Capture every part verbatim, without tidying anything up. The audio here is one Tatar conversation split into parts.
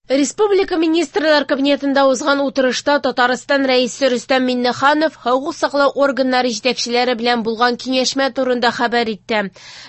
Республика Министрлар Кабинетында узган утырышта Татарстан Рәисе Рөстәм Миңнеханов хокук саклау органнары җитәкчеләре белән булган киңәшмә турында хәбәр итте.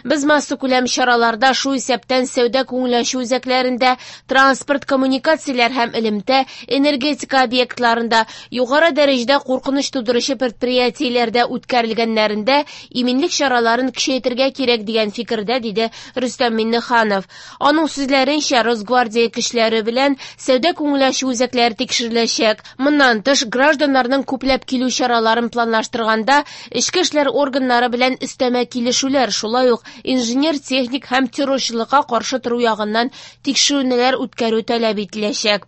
Без массакүләм чараларда, шул исәптән сәүдә күңел ачу үзәкләрендә, транспорт, коммуникацияләр һәм элемтә, энергетика объектларында, югары дәрәҗәдә куркыныч тудыручы предприятиеләрдә үткәрелгәннәрендә иминлек чараларын көчәйтергә кирәк дигән фикердә, диде Рөстәм Миңнеханов. Аның сүзләренчә, Росгвардия көчләре белән сәүдә күңел ачу үзәкләре тикшереләчәк. Моннан тыш, гражданнарның күпләп килү чараларын планлаштырганда, эчке эшләр органнары белән өстәмә килешүләр, шулай ук инженер-техник һәм террорчылыкка каршы тору ягыннан тикшерүләр үткәрү таләп ителәчәк.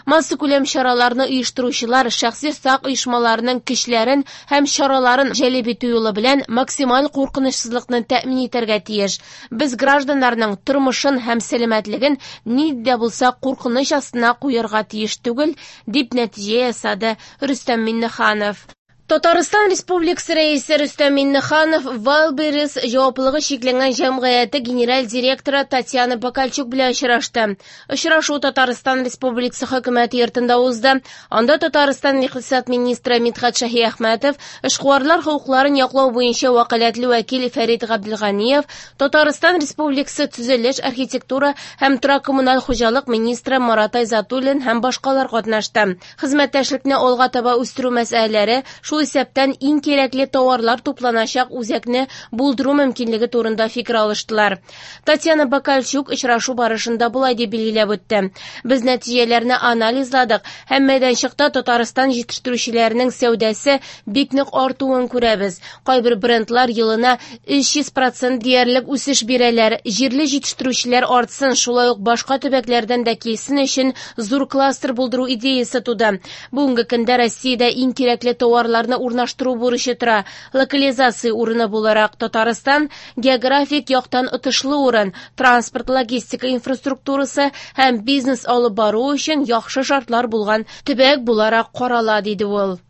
Массакүләм чараларны оештыручылар шәхси сак оешмаларының көчләрен һәм чараларын җәлеп итү юлы белән максималь куркынычсызлыкны тәэмин итәргә тиеш. Без гражданнарның тормышын һәм сәламәтлеген нинди дә булса куркыныч астына куярга тиеш түгел, дип нәтиҗә ясады Рөстәм Миңнеханов. Татарстан Республикасы Рәисе Рөстәм Миңнеханов Wildberries җаваплылыгы чикләнгән җәмгыяте генераль директоры Татьяна Бакальчук белән очрашты. Очрашу Татарстан Республикасы хөкүмәте йортында узды. Анда Татарстан икътисад министры Мидхәт Шаһиәхмәтов, эшкуарлар хокукларын яклау буенча вәкаләтле вәкил Фәрит Габделганиев, Татарстан Республикасы төзелеш, архитектура һәм торак-коммуналь хуҗалык министры Марат Айзатуллин һәм башкалар катнашты. Хезмәттәшлекне алга таба үстерү мәсьәләләре, шул исәптән иң кирәкле товарлар тупланачак үзәкне булдыру мөмкинлеге турында фикер алыштылар. Татьяна Бакальчук очрашу барышында болай дип билгеләп үтте. Без нәтиҗәләрне анализладык һәм мәйданчыкта Татарстан җитештерүчеләренең сәүдәсе бик нык артуын күрәбез. Кайбер брендлар елына өч йөз процент диярлек үсеш бирәләр. Җирле җитештерүчеләр артсын, шулай ук башка төбәкләрдән дә килсен өчен зур кластер булдыру идеясы туды. Бүгенге көндә Россиядә иң кирәкле товарларны урнаштыру бурычы тора. Локализация урыны буларак Татарстан географик яктан отышлы урын, транспорт, логистика инфраструктурасы һәм бизнес алып бару өчен яхшы шартлар булган төбәк буларак карала, диде ул.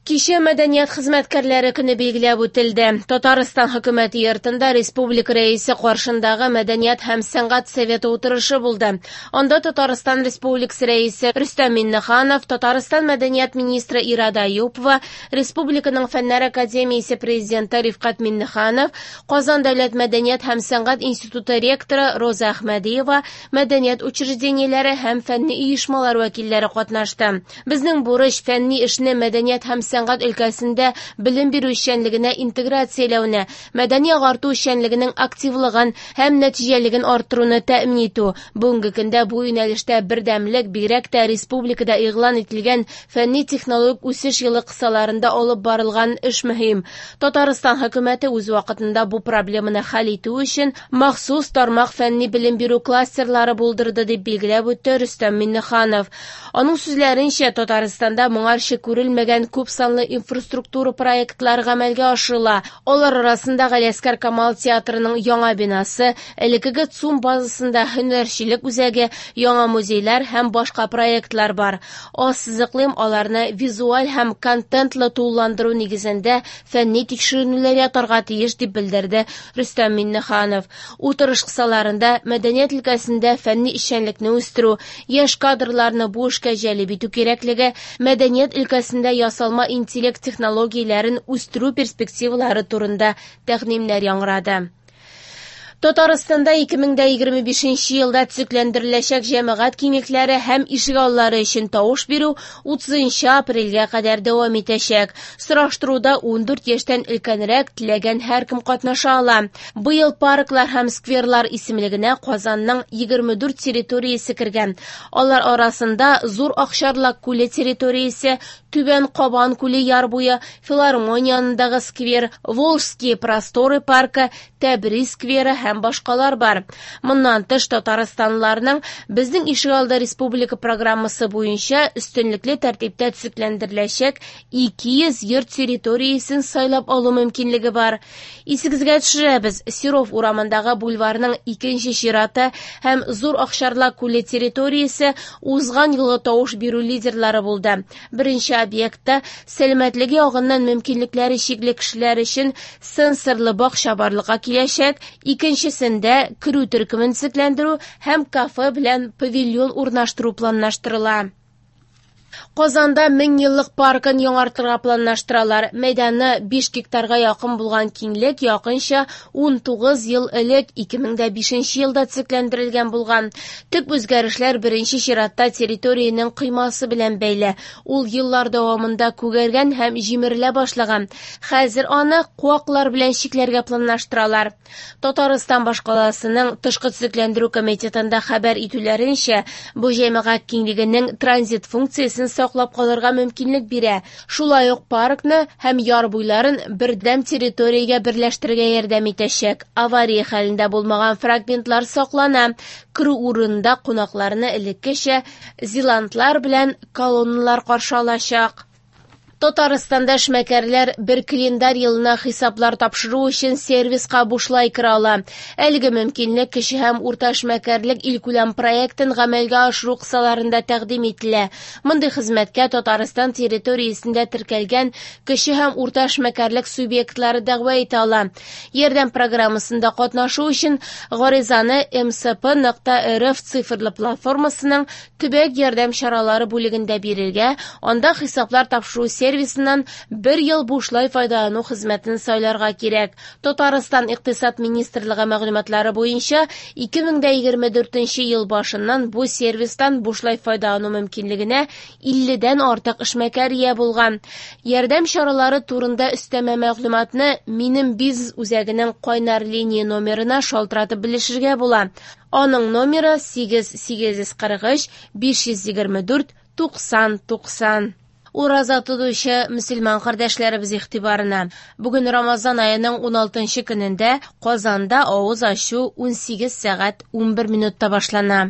Кичә мәдәният хезмәткәрләре көне билгеләп үтелде. Татарстан хөкүмәте йортында республика рәисе каршындагы мәдәният һәм сәнгать советы утырышы булды. Анда Татарстан Республикасы рәисе Рөстәм Миңнеханов, Татарстан мәдәният министры Ирада Аюпова, Республиканың Фәннәр академиясе президенты Рифкать Миңнеханов, Казан дәүләт мәдәният һәм сәнгать институты ректоры Роза Әхмәдиева, мәдәният учреждениеләре һәм фәнни оешмалар вәкилләре катнашты. Безнең бурыч фәнни эшне мәдәният һәм сәнгать өлкәсендә белем бирү эшчәнлегенә интеграцияләүне, мәдәни агарту эшчәнлегенең активлыгын һәм нәтиҗәлелеген арттыруны тәэмин итү. Бүгенге көндә бу юнәлештә бердәмлек бигрәк тә республикада игълан ителгән фәнни-технологик үсеш елы кысаларында алып барылган эш мөһим. Татарстан хөкүмәте үз вакытында бу проблеманы хәл итү өчен махсус тармак фәнни белем бирү кластерлары булдырды, дип билгеләп үтте Рөстәм Миңнеханов. Аның сүзләренчә, Татарстанда моңарчы күрелмәгән күп санлы инфраструктура проектлары гамәлгә ашырыла. Алар арасында Галиәсгар Камал театрының яңа бинасы, элеккеге ЦУМ базасында һөнәрчелек үзәге, яңа музейлар һәм башка проектлар бар. Ассызыклыйм, аларны визуаль һәм контентлы тулыландыру нигезендә фәнни тикшеренүләр ятарга тиеш, дип белдерде Рөстәм Миңнеханов. Утырыш кысаларында мәдәният өлкәсендә фәнни эшчәнлекне үстерү, яшь кадрларны бу эшкә җәлеп итү кирәклеге, мәдәният өлкәсендә ясалма интеллект технологияләрен үстерү перспективалары турында тәкъдимнәр яңгырады. Татарстанда ике мең дә егерме бишенче елда төзекләндереләчәк җәмәгать киңлекләре һәм ишегаллары өчен тавыш бирү утызынчы апрельгә кадәр дәвам итәчәк. Сораштыруда ундүрт яшьтән өлкәнрәк теләгән һәркем катнаша ала. Быел парклар һәм скверлар исемлегенә Казанның егерме дүрт территориясе кергән. Алар арасында Зур Акчарлак күле территориясе, Түбән Кабан күле яр буе, Филармония янындагы сквер, Волжские просторы паркы, Тәбриз скверы һәм башкалар бар. Моннан тыш, татарстанлыларның Безнең ишегалды республика программасы буенча өстенлекле тәртиптә төзекләндереләчәк ике йөз йорт территориясен сайлап алу мөмкинлеге бар. Исегезгә төшерәбез, Серов урамындагы бульварның икенче чираты һәм Зур Акчарлак күле территориясе узган елгы тавыш бирү лидерлары булды. Беренче объектта сәламәтлеге ягыннан мөмкинлекләре чикле кешеләр өчен сенсорлы бакча барлыкка киләчәк, икенче Икенчесендә керү төркемен төзекләндерү һәм кафе белән павильон урнаштыру планлаштырыла. Казанда мең еллык паркын яңартырга планлаштыралар. Мәйданы биш гектарга якын булган киңлек якынча ун тугыз ел элек ике мең дә бишенче елда төзекләндерелгән булган. Төп үзгәрешләр беренче чиратта территориянең коймасы белән бәйле. Ул еллар дәвамында күгәргән һәм җимерелә башлаган. Хәзер аны куаклар белән чикләргә планлаштыралар. Татарстан башкаласының тышкы төзекләндерү комитетында хәбәр итүләренчә, бу җәмәгать киңлегенең транзит функциясен саклап калырга мөмкинлек бирә. Шулай ук паркны һәм яр буйларын бердәм территориягә берләштерергә ярдәм итәчәк. Авария хәлендә булмаган фрагментлар саклана. Керү урынында кунакларны элеккечә зилантлар белән колонналар каршы алачак. Татарстанда эшмәкәрләр бер календарь елына хисаплар тапшыру өчен сервиска бушлай керә ала. Әлеге мөмкинлек кече һәм урта эшмәкәрлек илкүләм проектын гамәлгә ашыру кысаларында тәкъдим ителә. Мондый хезмәткә Татарстан территориясендә теркәлгән кече һәм урта эшмәкәрлек субъектлары дәгъва итә ала. Ярдәм программасында катнашу өчен гаризаны эм эс пэ нокта эр эф цифрлы платформасының төбәк ярдәм чаралары бүлегендә бирергә, анда хисаплар тапшыру сервисыннан бер ел бушлай файдалану хезмәтен сайларга кирәк. Татарстан Икътисад министрлыгы мәгълүматлары буенча ике мең дә егерме дүртенче ел башыннан бу сервистан бушлай файдалану мөмкинлегенә илледән артык эшмәкәр ия булган. Ярдәм чаралары турында өстәмә мәгълүматны Минем бизнес үзәгенең кайнар линия номерына шалтыратып белешергә була. Аның номеры сигез сигез йөз кырык өч биш йөз егерме дүрт туксан туксан. Ураза тотучы мөселман кардәшләребез игътибарына. Бүген Рамазан аеның уналтынчы көнендә Казанда авыз ачу унсигез сәгать унбер минутта башлана.